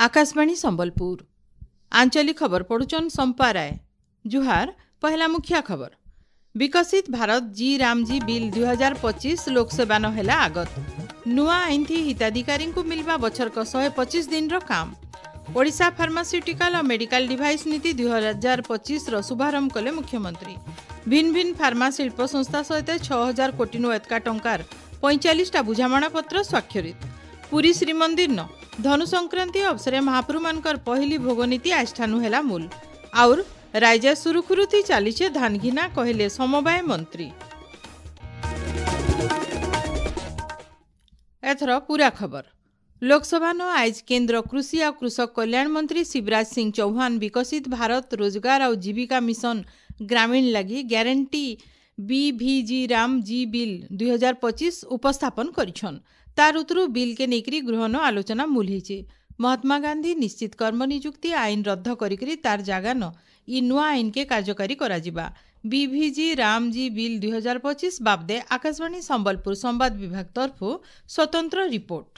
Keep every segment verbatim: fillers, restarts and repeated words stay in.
ଆକାଶବାଣୀ ସମ୍ବଲପୁର ଆଞ୍ଚଳିକ ଖବର ପଢୁଛନ୍ ସମ୍ପା ରାୟ ଜୁହାର ପହେଲା ମୁଖ୍ୟ ଖବର ବିକଶିତ ଭାରତ ଜି ରାମଜୀ ବିଲ୍ ଦୁଇ ହଜାର ପଚିଶ ଲୋକସେବା ନ ହେଲା ଆଗତ ନୂଆ ଆଇନ ଥି ହିତାଧିକାରୀଙ୍କୁ ମିଲବା ବଛରକ ଶହେ ପଚିଶ ଦିନର କାମ ଓଡ଼ିଶା ଫାର୍ମାସ୍ୟୁଟିକାଲ ଆଉ ମେଡିକାଲ ଡିଭାଇସ୍ ନୀତି ଦୁଇ ହଜାର ପଚିଶର ଶୁଭାରମ୍ଭ କଲେ ମୁଖ୍ୟମନ୍ତ୍ରୀ ଭିନ୍ନ ଭିନ୍ନ ଫାର୍ମା ଶିଳ୍ପ ସଂସ୍ଥା ସହିତ ଛଅ ହଜାର କୋଟିନୁ ଏତକା ଟଙ୍କାର ପଇଁଚାଳିଶଟା ବୁଝାମଣାପତ୍ର ସ୍ୱାକ୍ଷରିତ ପୁରୀ ଶ୍ରୀମନ୍ଦିର ଧନୁ ସଂକ୍ରାନ୍ତି ଅବସରେ ମହାପ୍ରଭୁମାନଙ୍କର ପହିଲି ଭୋଗନୀତି ଆଜିଠାନୁ ହେଲା ମୂଲ ଆଉର ରାଜ୍ୟ ସୁରୁଖୁରୁଥି ଚାଲିଛେ ଧାନଘିନା କହିଲେ ସମବାୟ ମନ୍ତ୍ରୀ ଏଥର ପୁରା ଖବର ଲୋକସଭା ନ ଆଜ କେନ୍ଦ୍ର କୃଷି ଆଉ କୃଷକ କଲ୍ୟାଣ ମନ୍ତ୍ରୀ ଶିବରାଜ ସିଂ ଚୌହାନ ବିକଶିତ ଭାରତ ରୋଜଗାର ଆଉ ଜୀବିକା ମିଶନ ଗ୍ରାମୀଣ ଲାଗି ଗ୍ୟାରେଣ୍ଟି বিভিଜି ରାମ ଜି ବିଲ୍ ଦୁଇ ହଜାର ପଚିଶ ଉପସ୍ଥାପନ କରିଛନ୍ ତାର ଉତରୁ ବିଲ୍କେ ନେଇକରି ଗୃହନ ଆଲୋଚନା ମୂଲ ହେଇଛେ ମହାତ୍ମା ଗାନ୍ଧୀ ନିଶ୍ଚିତ କର୍ମ ନିଯୁକ୍ତି ଆଇନ ରଦ୍ଦ କରିକରି ତାର ଜାଗାନ ଇ ନୂଆ ଆଇନକେ କାର୍ଯ୍ୟକାରୀ କରାଯିବା বিভিଜି ରାମଜୀ ବିଲ୍ ଦୁଇ ହଜାର ପଚିଶ ବାବଦେ ଆକାଶବାଣୀ ସମ୍ବଲପୁର ସମ୍ବାଦ ବିଭାଗ ତରଫରୁ ସ୍ୱତନ୍ତ୍ର ରିପୋର୍ଟ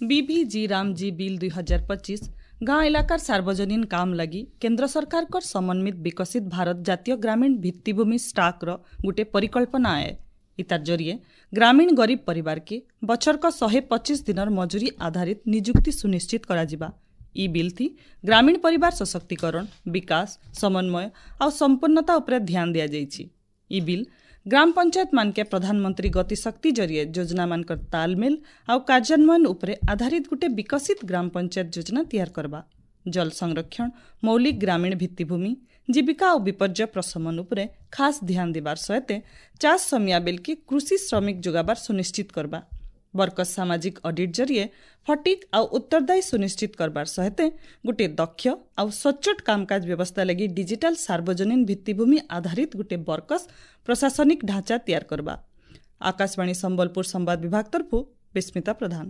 বিভিଜି ରାମଜୀ ବିଲ୍ ଦୁଇ ହଜାର ପଚିଶ ଗାଁ ଇଲାକାର ସାର୍ବଜନୀନ କାମ ଲାଗି କେନ୍ଦ୍ର ସରକାରଙ୍କର ସମନ୍ୱିତ ବିକଶିତ ଭାରତ ଜାତୀୟ ଗ୍ରାମୀଣ ଭିତ୍ତିଭୂମି ଷ୍ଟାକ୍ର ଗୋଟିଏ ପରିକଳ୍ପନା ଆଏ ଇତାର ଜରିଏ ଗ୍ରାମୀଣ ଗରିବ ପରିବାରକେ ବଛରକ ଶହେ ପଚିଶ ଦିନର ମଜୁରୀ ଆଧାରିତ ନିଯୁକ୍ତି ସୁନିଶ୍ଚିତ କରାଯିବା ଇ ବିଲ୍ ଥି ଗ୍ରାମୀଣ ପରିବାର ସଶକ୍ତିକରଣ ବିକାଶ ସମନ୍ୱୟ ଆଉ ସମ୍ପୂର୍ଣ୍ଣତା ଉପରେ ଧ୍ୟାନ ଦିଆଯାଇଛି ଇ ବିଲ୍ ଗ୍ରାମ ପଞ୍ଚାୟତ ମାନକେ ପ୍ରଧାନମନ୍ତ୍ରୀ ଗତିଶକ୍ତି ଜରିଏ ଯୋଜନାମାନଙ୍କର ତାଲମେଲ ଆଉ କାର୍ଯ୍ୟାନ୍ୱୟନ ଉପରେ ଆଧାରିତ ଗୋଟେ ବିକଶିତ ଗ୍ରାମ ପଞ୍ଚାୟତ ଯୋଜନା ତିଆର କରବା ଜଳ ସଂରକ୍ଷଣ ମୌଳିକ ଗ୍ରାମୀଣ ଭିତ୍ତିଭୂମି ଜୀବିକା ଆଉ ବିପର୍ଯ୍ୟୟ ପ୍ରଶମନ ଉପରେ ଖାସ୍ ଧ୍ୟାନ ଦେବାର ସହିତ ଚାଷ ସମିଆ ବେଲକେ କୃଷି ଶ୍ରମିକ ଯୋଗାବାର ସୁନିଶ୍ଚିତ କରବା ବର୍କସ ସାମାଜିକ ଅଡିଟ୍ ଜରିଏ ଫଟିକ୍ ଆଉ ଉତ୍ତରଦାୟୀ ସୁନିଶ୍ଚିତ କରବାର ସହିତ ଗୋଟିଏ ଦକ୍ଷ ଆଉ ସଚ୍ଚୋଟ କାମକାଜ ବ୍ୟବସ୍ଥା ଲାଗି ଡିଜିଟାଲ ସାର୍ବଜନୀନ ଭିତ୍ତିଭୂମି ଆଧାରିତ ଗୋଟିଏ ବର୍କସ ପ୍ରଶାସନିକ ଢାଞ୍ଚା ତିଆର କରବା ଆକାଶବାଣୀ ସମ୍ବଲପୁର ସମ୍ବାଦ ବିଭାଗ ତରଫରୁ ବିସ୍ମିତା ପ୍ରଧାନ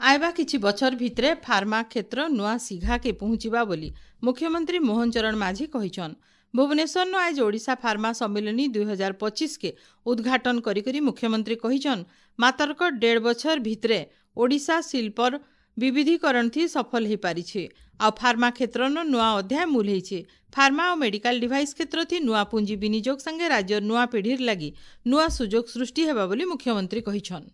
ଆଇବା କିଛି ବଛର ଭିତରେ ଫାର୍ମା କ୍ଷେତ୍ର ନୂଆ ସିଘାକେ ପହଞ୍ଚିବା ବୋଲି ମୁଖ୍ୟମନ୍ତ୍ରୀ ମୋହନ ଚରଣ ମାଝୀ କହିଛନ୍ ଭୁବନେଶ୍ୱରନ ଆଜ ଓଡ଼ିଶା ଫାର୍ମା ସମ୍ମିଳନୀ ଦୁଇ ହଜାର ପଚିଶକେ ଉଦ୍ଘାଟନ କରିକରି ମୁଖ୍ୟମନ୍ତ୍ରୀ କହିଛନ୍ ମାତରକ ଦେଢ଼ ବଛର ଭିତରେ ଓଡ଼ିଶା ଶିଳ୍ପର ବିବିଧୀକରଣ ଥି ସଫଳ ହୋଇପାରିছে ଆଉ ଫାର୍ମା କ୍ଷେତ୍ରନ ନୂଆ ଅଧ୍ୟାୟ ମୂଲ ହେଇଛେ ଫାର୍ମା ଆଉ ମେଡିକାଲ ଡିଭାଇସ୍ କ୍ଷେତ୍ର ଥି ନୂଆ ପୁଞ୍ଜି ବିନିଯୋଗ ସାଙ୍ଗେ ରାଜ୍ୟର ନୂଆ ପିଢ଼ିର ଲାଗି ନୂଆ ସୁଯୋଗ ସୃଷ୍ଟି ହେବା ବୋଲି ମୁଖ୍ୟମନ୍ତ୍ରୀ କହିଛନ୍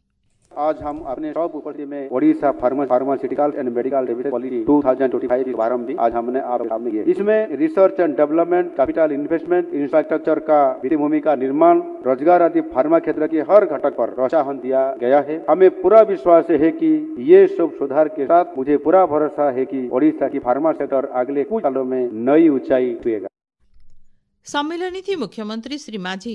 आज हम अपने सब उपस्थिति में Odisha pharma pharmaceutical and medical device policy दो हज़ार पच्चीस की प्रारंभ भी आज हमने आप सामने किया। इसमें research and development, capital investment, infrastructure का भित्तिभूमि का निर्माण, रोजगार आदि फार्मा क्षेत्र के हर घटक पर प्रोत्साहन दिया गया है। हमें पूरा विश्वास है कि ये सब सुधार के साथ मुझे पूरा भरोसा है कि ओडिशा की फार्मा सेक्टर अगले कुछ सालों में नई ऊंचाई छुएगा। ସମ୍ମିଳନୀ ଥି ମୁଖ୍ୟମନ୍ତ୍ରୀ ଶ୍ରୀ ମାଝୀ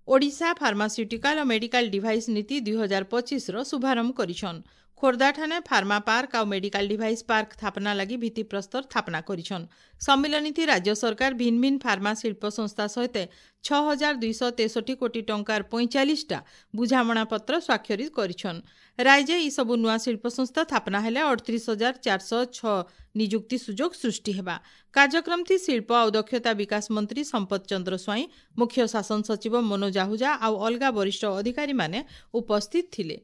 ଓଡ଼ିଶା ଫାର୍ମାସ୍ୟୁଟିକାଲ ଆଉ ମେଡିକାଲ ଡିଭାଇସ୍ ନୀତି ଦୁଇ ହଜାର ପଚିଶର ଶୁଭାରମ୍ଭ କରିଛନ୍ ଖୋର୍ଦ୍ଧାଠାନେ ଫାର୍ମା ପାର୍କ ଆଉ ମେଡିକାଲ ଡିଭାଇସ୍ ପାର୍କ ସ୍ଥାପନା ଲାଗି ଭିତ୍ତିପ୍ରସ୍ତର ସ୍ଥାପନା କରିଛନ୍ ସମ୍ମିଳନୀ ରାଜ୍ୟ ସରକାର ଭିନ୍ନ ଭିନ୍ନ ଫାର୍ମା ଶିଳ୍ପ ସଂସ୍ଥା ସହିତ ଛଅ ହଜାର ଦୁଇଶହ ତେଷଠି କୋଟି ଟଙ୍କାର ପଇଁଚାଳିଶଟା ବୁଝାମଣାପତ୍ର ସ୍ୱାକ୍ଷରିତ କରିଛନ୍ ରାଜ୍ୟ ଏସବୁ ନୂଆ ଶିଳ୍ପ ସଂସ୍ଥା ସ୍ଥାପନା ହେଲେ ଅଠତିରିଶ ହଜାର ଚାରିଶହ ଛଅ ନିଯୁକ୍ତି ସୁଯୋଗ ସୃଷ୍ଟି ହେବା କାର୍ଯ୍ୟକ୍ରମ ଥି ଶିଳ୍ପ ଆଉ ଦକ୍ଷତା ବିକାଶ ମନ୍ତ୍ରୀ ସମ୍ପଦ ଚନ୍ଦ୍ର ସ୍ୱାଇଁ ମୁଖ୍ୟ ଶାସନ ସଚିବ ମନୋଜ ଆହୁଜା ଆଉ ଅଲଗା ବରିଷ୍ଠ ଅଧିକାରୀମାନେ ଉପସ୍ଥିତ ଥିଲେ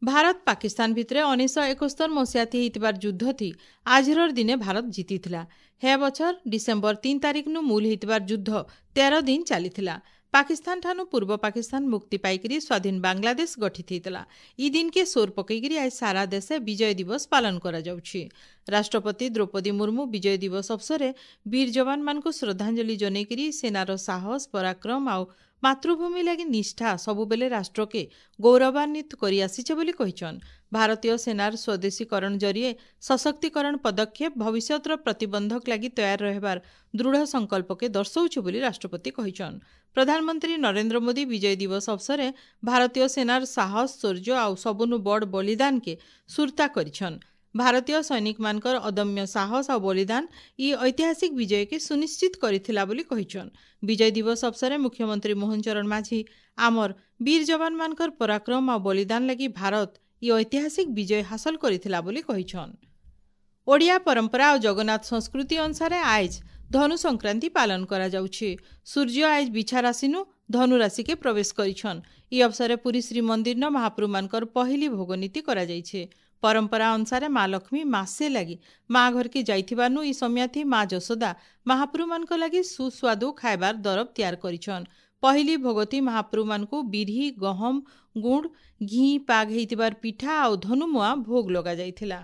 ଭାରତ ପାକିସ୍ତାନ ଭିତରେ ଉଣେଇଶହ ଏକସ୍ତର ମସିହାଥି ହେଇଥିବାର ଯୁଦ୍ଧ ଥି ଆଜିର ଦିନେ ଭାରତ ଜିତିଥିଲା ହେ ବଛର ଡିସେମ୍ବର ତିନି ତାରିଖନୁ ମୂଲ ହେଇଥିବାର ଯୁଦ୍ଧ ତେର ଦିନ ଚାଲିଥିଲା ପାକିସ୍ତାନ ଠାନୁ ପୂର୍ବ ପାକିସ୍ତାନ ମୁକ୍ତି ପାଇକରି ସ୍ୱାଧୀନ ବାଂଲାଦେଶ ଗଠିତ ହେଇଥିଲା ଇ ଦିନକେ ସୋର ପକେଇକରି ଆଜ ସାରା ଦେଶେ ବିଜୟ ଦିବସ ପାଳନ କରାଯାଉଛି ରାଷ୍ଟ୍ରପତି ଦ୍ରୌପଦୀ ମୁର୍ମୁ ବିଜୟ ଦିବସ ଅବସରେ ବୀର ଯବାନମାନଙ୍କୁ ଶ୍ରଦ୍ଧାଞ୍ଜଳି ଜନେଇକରି ସେନାର ସାହସ ପରାକ୍ରମ ଆଉ ମାତୃଭୂମି ଲାଗି ନିଷ୍ଠା ସବୁବେଳେ ରାଷ୍ଟ୍ରକେ ଗୌରବାନ୍ୱିତ କରି ଆସିছে ବୋଲି କହିଛନ୍ ଭାରତୀୟ ସେନାର ସ୍ୱଦେଶୀକରଣ ଜରିଏ ସଶକ୍ତିକରଣ ପଦକ୍ଷେପ ଭବିଷ୍ୟତର ପ୍ରତିବନ୍ଧକ ଲାଗି ତୟାର ରହିବାର ଦୃଢ଼ ସଂକଳ୍ପକେ ଦର୍ଶାଉଛି ବୋଲି ରାଷ୍ଟ୍ରପତି କହିଛନ୍ ପ୍ରଧାନମନ୍ତ୍ରୀ ନରେନ୍ଦ୍ର ମୋଦି ବିଜୟ ଦିବସ ଅବସରେ ଭାରତୀୟ ସେନାର ସାହସ ଶୌର୍ଯ୍ୟ ଆଉ ସବୁନୁ ବଡ଼ ବଳିଦାନକେ ସୁରତା କରିଛନ୍ ଭାରତୀୟ ସୈନିକମାନଙ୍କର ଅଦମ୍ୟ ସାହସ ଆଉ ବଳିଦାନ ଇ ଐତିହାସିକ ବିଜୟକେ ସୁନିଶ୍ଚିତ କରିଥିଲା ବୋଲି କହିଛନ୍ ବିଜୟ ଦିବସ ଅବସରେ ମୁଖ୍ୟମନ୍ତ୍ରୀ ମୋହନ ଚରଣ ମାଝୀ ଆମର ବୀର ଯବାନମାନଙ୍କର ପରାକ୍ରମ ଆଉ ବଳିଦାନ ଲାଗି ଭାରତ ଇ ଐତିହାସିକ ବିଜୟ ହାସଲ କରିଥିଲା ବୋଲି କହିଛନ୍ ଓଡ଼ିଆ ପରମ୍ପରା ଆଉ ଜଗନ୍ନାଥ ସଂସ୍କୃତି ଅନୁସାରେ ଆଇଜ ଧନୁ ସଂକ୍ରାନ୍ତି ପାଳନ କରାଯାଉଛି ସୂର୍ଯ୍ୟ ଆଇଜ ବିଛା ରାଶିନୁ ଧନୁ ରାଶିକେ ପ୍ରବେଶ କରିଛନ୍ ଇ ଅବସରେ ପୁରୀ ଶ୍ରୀମନ୍ଦିରନ ମହାପ୍ରଭୁମାନଙ୍କର ପହିଲି ଭୋଗନୀତି କରାଯାଇଛି ପରମ୍ପରା ଅନୁସାରେ ମା ଲକ୍ଷ୍ମୀ ମାସେ ଲାଗି ମା ଘରକେ ଯାଇଥିବାନୁ ଇ ସମିୟାଥି ମା ଯଶୋଦା ମହାପ୍ରଭୁମାନଙ୍କ ଲାଗି ସୁସ୍ୱାଦୁ ଖାଇବାର ଦରବ ତିଆର କରିଛନ୍। ପହିଲି ଭୋଗତି ମହାପ୍ରଭୁମାନଙ୍କୁ ବିରି, ଗହମ, ଗୁଡ଼, ଘି ପାଗ ହେଇଥିବାର ପିଠା ଆଉ ଧନୁମୁଆଁ ଭୋଗ ଲଗାଯାଇଥିଲା।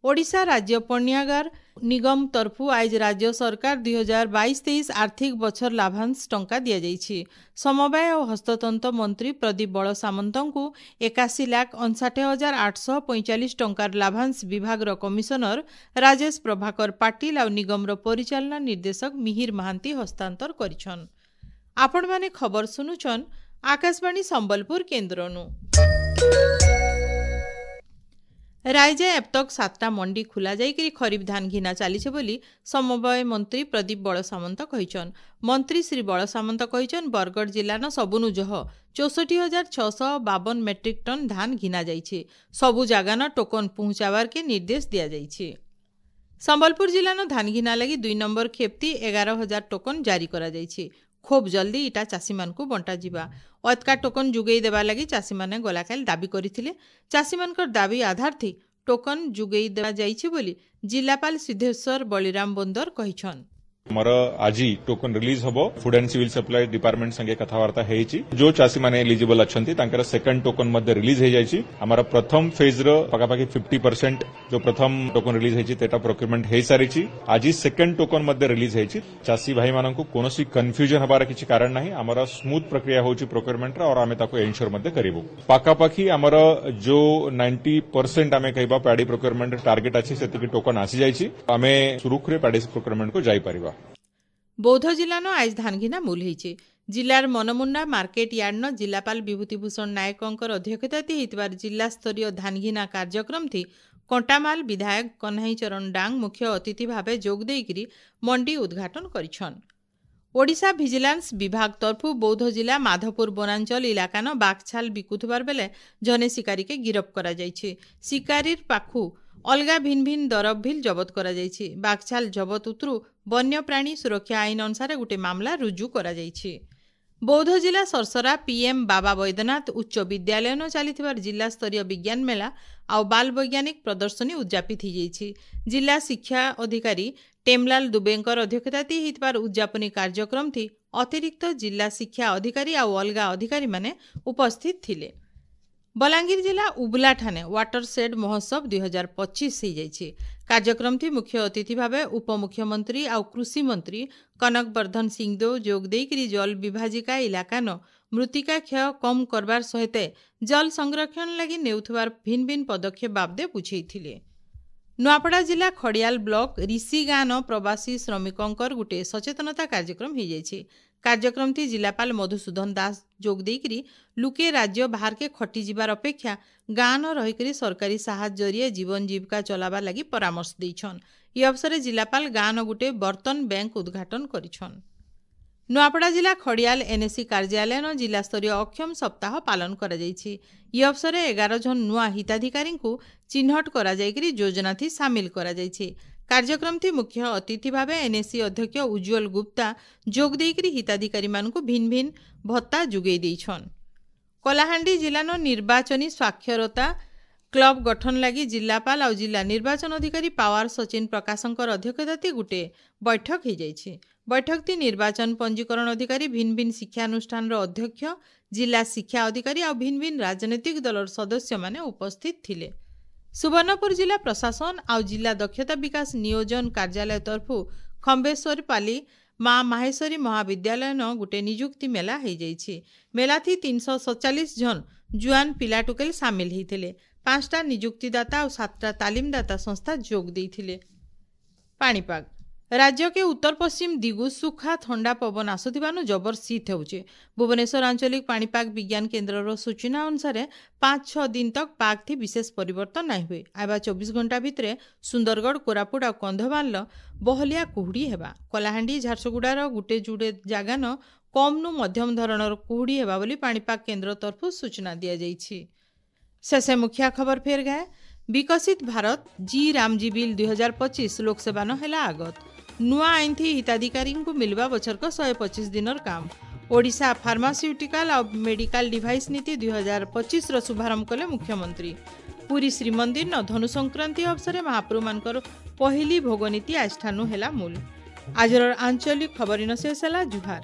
ଓଡ଼ିଶା ରାଜ୍ୟ ପଣ୍ୟାଗାର ନିଗମ ତରଫୁ ଆଇଜ ରାଜ୍ୟ ସରକାର ଦୁଇ ହଜାର ବାଇଶ ତେଇଶ ଆର୍ଥିକ ବଛର ଲାଭାଂଶ ଟଙ୍କା ଦିଆଯାଇଛି। ସମବାୟ ଓ ହସ୍ତତନ୍ତ ମନ୍ତ୍ରୀ ପ୍ରଦୀପ ବଳ ସାମନ୍ତଙ୍କୁ ଏକାଅଶୀ ଲାଖ ଅଣଷାଠି ହଜାର ଆଠଶହ ପଇଁଚାଳିଶ ଟଙ୍କାର ଲାଭାଂଶ ବିଭାଗର କମିଶନର ରାଜେଶ ପ୍ରଭାକର ପାଟିଲ ଆଉ ନିଗମର ପରିଚାଳନା ନିର୍ଦ୍ଦେଶକ ମିହିର ମହାନ୍ତି ହସ୍ତାନ୍ତର କରିଛନ୍। ଆପଣମାନେ ଖବର ଶୁଣୁଛନ୍ ଆକାଶବାଣୀ ସମ୍ବଲପୁର କେନ୍ଦ୍ରନୁ। ରାଇଜେ ଏବତକ ସାତଟା ମଣ୍ଡି ଖୋଲା ଯାଇକରି ଖରିଫ ଧାନ ଘିନା ଚାଲିছে ବୋଲି ସମବାୟ ମନ୍ତ୍ରୀ ପ୍ରଦୀପ ବଳ ସାମନ୍ତ କହିଛନ୍। ମନ୍ତ୍ରୀ ଶ୍ରୀ ବଳ ସାମନ୍ତ କହିଛନ୍, ବରଗଡ଼ ଜିଲ୍ଲାନ ସବୁନୁ ଜହ ଚଉଷଠି ହଜାର ଛଅଶହ ବାବନ ମେଟ୍ରିକ୍ ଟନ୍ ଧାନ ଘିନା ଯାଇଛି। ସବୁ ଜାଗାନ ଟୋକନ ପହଞ୍ଚାବାରକେ ନିର୍ଦ୍ଦେଶ ଦିଆଯାଇଛି। ସମ୍ବଲପୁର ଜିଲ୍ଲାନ ଧାନ ଘିନା ଲାଗି ଦୁଇ ନମ୍ବର ଖେପ୍ତି ଏଗାର ହଜାର ଟୋକନ ଜାରି କରାଯାଇଛି। ଖୁବ୍ ଜଲ୍ଦି ଇଟା ଚାଷୀମାନଙ୍କୁ ବଣ୍ଟାଯିବା। ଅତକା ଟୋକନ ଯୋଗାଇ ଦେବା ଲାଗି ଚାଷୀମାନେ ଗଲାକାଲି ଦାବି କରିଥିଲେ। ଚାଷୀମାନଙ୍କର ଦାବି ଆଧାରଥି ଟୋକନ ଯୋଗାଇ ଦିଆଯାଇଛି ବୋଲି ଜିଲ୍ଲାପାଳ ସିଦ୍ଧେଶ୍ୱର ବଳିରାମ ବୋନ୍ଦର କହିଛନ୍। ଆମର ଆଜି ଟୋକନ ରିଲିଜ ହବ। Food and civil supply department ସାଙ୍ଗେ କଥାବାର୍ତ୍ତା ହେଇଛି। ଯୋଉ ଚାଷୀମାନେ ଏଲିଜିବଲ ଅଛନ୍ତି, ତାଙ୍କର ସେକେଣ୍ଡ ଟୋକନ ମଧ୍ୟ ରିଲିଜ ହେଇଯାଇଛି। ଆମର ପ୍ରଥମ ଫେଜ୍ର ପାଖାପାଖି ଫିଫ୍ଟି ପରସେଣ୍ଟ ଯୋଉ ପ୍ରଥମ ଟୋକନ ରିଲିଜ ହେଇଛି, ସେଟା ପ୍ରୋକ୍ୟୁରମେଣ୍ଟ ହେଇସାରିଛି। ଆଜି ସେକେଣ୍ଡ ଟୋକନ ମଧ୍ୟ ରିଲିଜ ହେଇଛି। ଚାଷୀ ଭାଇମାନଙ୍କୁ କୌଣସି କନଫ୍ୟୁଜନ ହବାର କିଛି କାରଣ ନାହିଁ। ଆମର ସ୍ମୁଥ ପ୍ରକ୍ରିୟା ହେଉଛି ପ୍ରୋକ୍ୟୁରମେଣ୍ଟର और ଆମେ ତାକୁ ଏନସ୍યોର ମଧ୍ୟ କରିବୁ। ପାଖାପାଖି ଆମର ଯୋଉ ନାଇଣ୍ଟି ପରସେଣ୍ଟ ଆମେ କହିବା ପ୍ୟାଡି ପ୍ରୋକ୍ୟୁରମେଣ୍ଟ ଟାର୍ଗେଟ ଅଛି, ସେତିକି ଟୋକନ ଆସିଯାଇଛି। ଆମେ ସୁରୁଖୁରୁରେ ପ୍ୟାଡି ପ୍ରୋକ୍ୟୁରମେଣ୍ଟକୁ ଯାଇପାରିବା। ବୌଦ୍ଧ ଜିଲ୍ଲାନ ଆଇଜ ଧାନଘିନା ମୂଲ ହେଇଛି। ଜିଲ୍ଲାର ମନମୁଣ୍ଡା ମାର୍କେଟ ୟାର୍ଡନ ଜିଲ୍ଲାପାଳ ବିଭୂତିଭୂଷଣ ନାୟକଙ୍କର ଅଧ୍ୟକ୍ଷତାତି ହେଇଥିବାର ଜିଲ୍ଲାସ୍ତରୀୟ ଧାନଘିନା କାର୍ଯ୍ୟକ୍ରମଥି କଣ୍ଟାମାଲ ବିଧାୟକ କହ୍ନାଇ ଚରଣ ଡାଙ୍ଗ ମୁଖ୍ୟ ଅତିଥି ଭାବେ ଯୋଗ ଦେଇକରି ମଣ୍ଡି ଉଦ୍ଘାଟନ କରିଛନ୍। ଓଡ଼ିଶା ଭିଜିଲାନ୍ସ ବିଭାଗ ତରଫୁ ବୌଦ୍ଧ ଜିଲ୍ଲା ମାଧପୁର ବନାଞ୍ଚଳ ଇଲାକାନ ବାଘଛାଲ ବିକୁଥିବାର ବେଲେ ଜନେ ଶିକାରୀକେ ଗିରଫ କରାଯାଇଛି। ଶିକାରୀର ପାଖୁ ଅଲଗା ଭିନ୍ ଭିନ୍ ଦରବ ଭିଲ୍ ଜବତ କରାଯାଇଛି। ବାଘଛାଲ ଜବତ ଉତରୁ ବନ୍ୟପ୍ରାଣୀ ସୁରକ୍ଷା ଆଇନ ଅନୁସାରେ ଗୋଟିଏ ମାମଲା ରୁଜୁ କରାଯାଇଛି। ବୌଦ୍ଧ ଜିଲ୍ଲା ସରସରା ପିଏମ୍ ବାବା ବୈଦ୍ୟନାଥ ଉଚ୍ଚ ବିଦ୍ୟାଳୟନ ଚାଲିଥିବାର ଜିଲ୍ଲାସ୍ତରୀୟ ବିଜ୍ଞାନ ମେଳା ଆଉ ବାଲ ବୈଜ୍ଞାନିକ ପ୍ରଦର୍ଶନୀ ଉଦ୍ଯାପିତ ହୋଇଯାଇଛି। ଜିଲ୍ଲା ଶିକ୍ଷା ଅଧିକାରୀ ଟେମଲାଲ ଦୁବେଙ୍କର ଅଧ୍ୟକ୍ଷତାତି ହେଇଥିବାର ଉଦ୍ଯାପନୀ କାର୍ଯ୍ୟକ୍ରମଥି ଅତିରିକ୍ତ ଜିଲ୍ଲା ଶିକ୍ଷା ଅଧିକାରୀ ଆଉ ଅଲଗା ଅଧିକାରୀମାନେ ଉପସ୍ଥିତ ଥିଲେ। ବଲାଙ୍ଗୀର ଜିଲ୍ଲା ଉବଲାଠାନେ ୱାଟର ସେଡ୍ ମହୋତ୍ସବ ଦୁଇ ହଜାର ପଚିଶ ହେଇଯାଇଛି। କାର୍ଯ୍ୟକ୍ରମଥି ମୁଖ୍ୟ ଅତିଥି ଭାବେ ଉପମୁଖ୍ୟମନ୍ତ୍ରୀ ଆଉ କୃଷିମନ୍ତ୍ରୀ କନକ ବର୍ଦ୍ଧନ ସିଂଦେଓ ଯୋଗ ଦେଇକରି ଜଳ ବିଭାଜିକା ଇଲାକାନ ମୃତ୍ତିକା କ୍ଷୟ କମ୍ କରବାର ସହିତ ଜଳ ସଂରକ୍ଷଣ ଲାଗି ନେଉଥିବାର ଭିନ୍ ଭିନ୍ ପଦକ୍ଷେପ ବାବଦେ ବୁଝେଇଥିଲେ। ନୂଆପଡ଼ା ଜିଲ୍ଲା ଖଡ଼ିଆଲ ବ୍ଲକ ରିଷିଗାଁନ ପ୍ରବାସୀ ଶ୍ରମିକଙ୍କର ଗୋଟିଏ ସଚେତନତା କାର୍ଯ୍ୟକ୍ରମ ହେଇଯାଇଛି। କାର୍ଯ୍ୟକ୍ରମଟି ଜିଲ୍ଲାପାଳ ମଧୁସୂଦନ ଦାସ ଯୋଗ ଦେଇକରି ଲୁକେ ରାଜ୍ୟ ବାହାରକେ ଖଟି ଯିବାର ଅପେକ୍ଷା ଗାଁନ ରହିକରି ସରକାରୀ ସାହାଯ୍ୟ ଜରିଏ ଜୀବନ ଜୀବିକା ଚଲାବାର ଲାଗି ପରାମର୍ଶ ଦେଇଛନ୍। ଇ ଅବସରରେ ଜିଲ୍ଲାପାଳ ଗାଁନ ଗୋଟିଏ ବର୍ତ୍ତନ ବ୍ୟାଙ୍କ ଉଦ୍ଘାଟନ କରିଛନ୍। ନୂଆପଡ଼ା ଜିଲ୍ଲା ଖଡ଼ିଆଲ ଏନ୍ଏସି କାର୍ଯ୍ୟାଳୟନ ଜିଲ୍ଲାସ୍ତରୀୟ ଅକ୍ଷମ ସପ୍ତାହ ପାଳନ କରାଯାଇଛି। ଇ ଅବସରରେ ଏଗାର ଜଣ ନୂଆ ହିତାଧିକାରୀଙ୍କୁ ଚିହ୍ନଟ କରାଯାଇକରି ଯୋଜନାଥି ସାମିଲ କରାଯାଇଛି। କାର୍ଯ୍ୟକ୍ରମଥି ମୁଖ୍ୟ ଅତିଥି ଭାବେ ଏନ୍ଏସି ଅଧ୍ୟକ୍ଷ ଉଜ୍ଜ୍ୱଳ ଗୁପ୍ତା ଯୋଗ ଦେଇକରି ହିତାଧିକାରୀମାନଙ୍କୁ ଭିନ୍ ଭିନ୍ ଭତ୍ତା ଯୋଗାଇ ଦେଇଛନ୍। କଳାହାଣ୍ଡି ଜିଲ୍ଲାନ ନିର୍ବାଚନୀ ସ୍ୱାକ୍ଷରତା କ୍ଲବ ଗଠନ ଲାଗି ଜିଲ୍ଲାପାଳ ଆଉ ଜିଲ୍ଲା ନିର୍ବାଚନ ଅଧିକାରୀ ପାୱାର ସଚିନ ପ୍ରକାଶଙ୍କର ଅଧ୍ୟକ୍ଷତାତି ଗୋଟିଏ ବୈଠକ ହେଇଯାଇଛି। ବୈଠକଟି ନିର୍ବାଚନ ପଞ୍ଜୀକରଣ ଅଧିକାରୀ, ଭିନ୍ ଭିନ୍ ଶିକ୍ଷାନୁଷ୍ଠାନର ଅଧ୍ୟକ୍ଷ, ଜିଲ୍ଲା ଶିକ୍ଷା ଅଧିକାରୀ ଆଉ ଭିନ୍ ଭିନ୍ ରାଜନୈତିକ ଦଳର ସଦସ୍ୟମାନେ ଉପସ୍ଥିତ ଥିଲେ। ସୁବର୍ଣ୍ଣପୁର ଜିଲ୍ଲା ପ୍ରଶାସନ ଆଉ ଜିଲ୍ଲା ଦକ୍ଷତା ବିକାଶ ନିୟୋଜନ କାର୍ଯ୍ୟାଳୟ ତରଫୁ ଖମ୍ବେଶ୍ୱରପାଲି ମା ମାହେଶ୍ୱରୀ ମହାବିଦ୍ୟାଳୟନ ଗୋଟେ ନିଯୁକ୍ତି ମେଳା ହେଇଯାଇଛି। ମେଳାଥି ତିନିଶହ ସତଚାଳିଶ ଜଣ ଜୁଆନ ପିଲା ଟୁକେଲ ସାମିଲ ହେଇଥିଲେ। ପାଞ୍ଚଟା ନିଯୁକ୍ତିଦାତା ଆଉ ସାତଟା ତାଲିମଦାତା ସଂସ୍ଥା ଯୋଗ ଦେଇଥିଲେ। ପାଣିପାଗ ରାଜ୍ୟକେ ଉତ୍ତର ପଶ୍ଚିମ ଦିଗୁ ସୁଖା ଥଣ୍ଡା ପବନ ଆସୁଥିବାରୁ ଜବର ଶୀତ ହେଉଛି। ଭୁବନେଶ୍ୱର ଆଞ୍ଚଳିକ ପାଣିପାଗ ବିଜ୍ଞାନ କେନ୍ଦ୍ରର ସୂଚନା ଅନୁସାରେ ପାଞ୍ଚ ଛଅ ଦିନ ତକ ପାଗଥି ବିଶେଷ ପରିବର୍ତ୍ତନ ନାଇଁ ହୁଏ। ଆଇବା ଚବିଶ ଘଣ୍ଟା ଭିତରେ ସୁନ୍ଦରଗଡ଼, କୋରାପୁଟ ଆଉ କନ୍ଧମାଳର ବହଲିଆ କୁହୁଡ଼ି ହେବା। କଳାହାଣ୍ଡି, ଝାରସୁଗୁଡ଼ାର ଗୁଟେ ଯୁଡ଼େ ଜାଗାନ କମ୍ନୁ ମଧ୍ୟମ ଧରଣର କୁହୁଡ଼ି ହେବା ବୋଲି ପାଣିପାଗ କେନ୍ଦ୍ର ତରଫରୁ ସୂଚନା ଦିଆଯାଇଛି। ଶେଷେ ମୁଖିଆ ଖବର ଫେର ଗାଏ। ବିକଶିତ ଭାରତ ଜି ରାମଜୀ ବିଲ୍ ଦୁଇ ହଜାର ପଚିଶ ଲୋକସେବାନ ହେଲା ଆଗତ। ନୂଆ ଆଇନଥି ହିତାଧିକାରୀଙ୍କୁ ମିଳିବା ବଛରକ ଶହେ ପଚିଶ ଦିନର କାମ। ଓଡ଼ିଶା ଫାର୍ମାସ୍ୟୁଟିକାଲ ଆଉ ମେଡିକାଲ ଡିଭାଇସ୍ ନୀତି ଦୁଇ ହଜାର ପଚିଶର ଶୁଭାରମ୍ଭ କଲେ ମୁଖ୍ୟମନ୍ତ୍ରୀ। ପୁରୀ ଶ୍ରୀମନ୍ଦିର ଧନୁ ସଂକ୍ରାନ୍ତି ଅବସରେ ମହାପ୍ରଭୁମାନଙ୍କର ପହିଲି ଭୋଗନୀତି ଆଜିଠାନୁ ହେଲା ମୂଲ। ଆଜିର ଆଞ୍ଚଳିକ ଖବର ଇନ ଶେଷ ହେଲା। ଜୁହାର।